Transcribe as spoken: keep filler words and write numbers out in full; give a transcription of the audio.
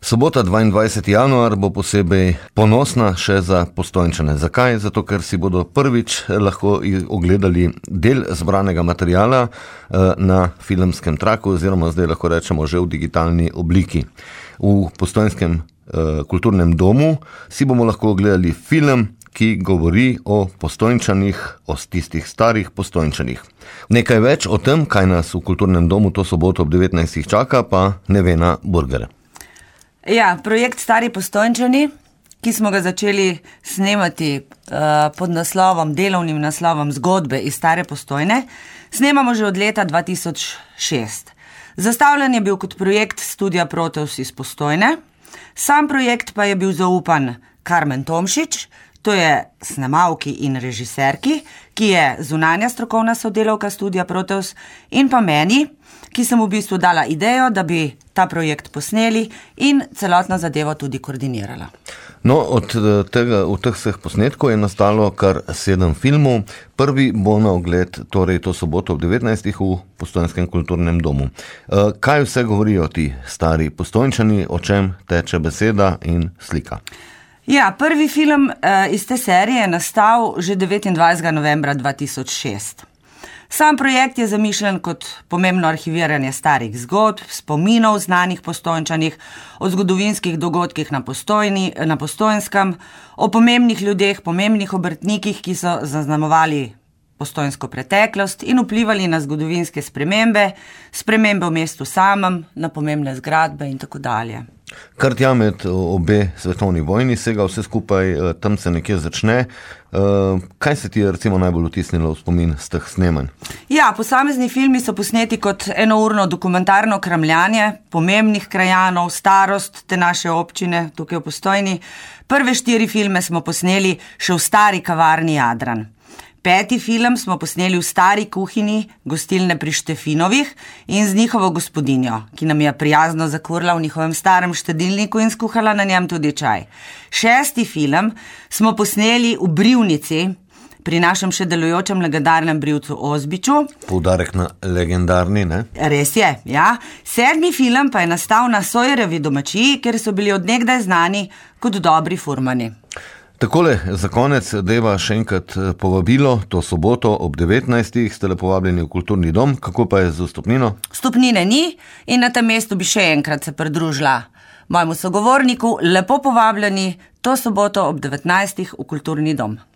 Sobota, dvaindvajseti januar, bo posebej ponosna še za Postojnčane. Zakaj? Zato, ker si bodo prvič lahko ogledali del zbranega materiala na filmskem traku, oziroma zdaj lahko rečemo že v digitalni obliki. V Postojnskem kulturnem domu si bomo lahko ogledali film, ki govori o Postojnčanih, o tistih starih Postojnčanih. Nekaj več o tem, kaj nas v kulturnem domu to soboto ob devetnajstih čaka, pa Nevena Burger. Ja, projekt Stari Postojnčani, ki smo ga začeli snemati uh, pod naslovom, delovnim naslovom Zgodbe iz Stare Postojne, snemamo že od leta dva tisoč šest. Zastavljen je bil kot projekt Studia Proteus iz Postojne, sam projekt pa je bil zaupan Karmen Tomšič, to je snemalki in režiserki, ki je zunanja strokovna sodelavka Studia Proteus, in pa meni, ki sem v bistvu dala idejo, da bi ta projekt posneli in celotno zadevo tudi koordinirala. No, od tega, od teh vseh posnetkov je nastalo kar sedem filmov. Prvi bo na ogled, torej to soboto ob devetnajstih v Postojnskem kulturnem domu. Kaj vse govorijo ti stari Postojnčani, o čem teče beseda in slika? Ja, prvi film uh, iz te serije je nastal že devetindvajsetega novembra dva tisoč šest. Sam projekt je zamišljen kot pomembno arhiviranje starih zgodb, spominov znanih Postojnčanih, o zgodovinskih dogodkih na, Postojni, na Postojnskem, o pomembnih ljudeh, pomembnih obrtnikih, ki so zaznamovali postojnsko preteklost in vplivali na zgodovinske spremembe, spremembe v mestu samem, na pomembne zgradbe in tako dalje. Kar tja med obe svetovni vojni sega, vse skupaj tam se nekje začne. Kaj se ti je recimo najbolj vtisnilo v spomin z teh snemanj? Ja, posamezni filmi so posneti kot enourno dokumentarno kramljanje pomembnih krajanov, starost te naše občine tukaj v Postojni. Prve štiri filme smo posneli še v stari kavarni Jadran. Peti film smo posneli v stari kuhinji gostilne pri Štefinovih in z njihovo gospodinjo, ki nam je prijazno zakurila v njihovem starem štedilniku in skuhala na njem tudi čaj. Šesti film smo posneli v brivnici pri našem še delujočem legendarnem brivcu Ozbiču. Poudarek na legendarni, ne? Res je, ja. Sedmi film pa je nastal na Sojrevi domačiji, kjer so bili od nekdaj znani kot dobri furmani. Takole, za konec deva še enkrat povabilo, to soboto ob devetnajstih ste le povabljeni v kulturni dom. Kako pa je z vstopnino? Vstopnine ni in na tem mestu bi še enkrat se pridružila mojemu sogovorniku. Lepo povabljeni to soboto ob devetnajstih v kulturni dom.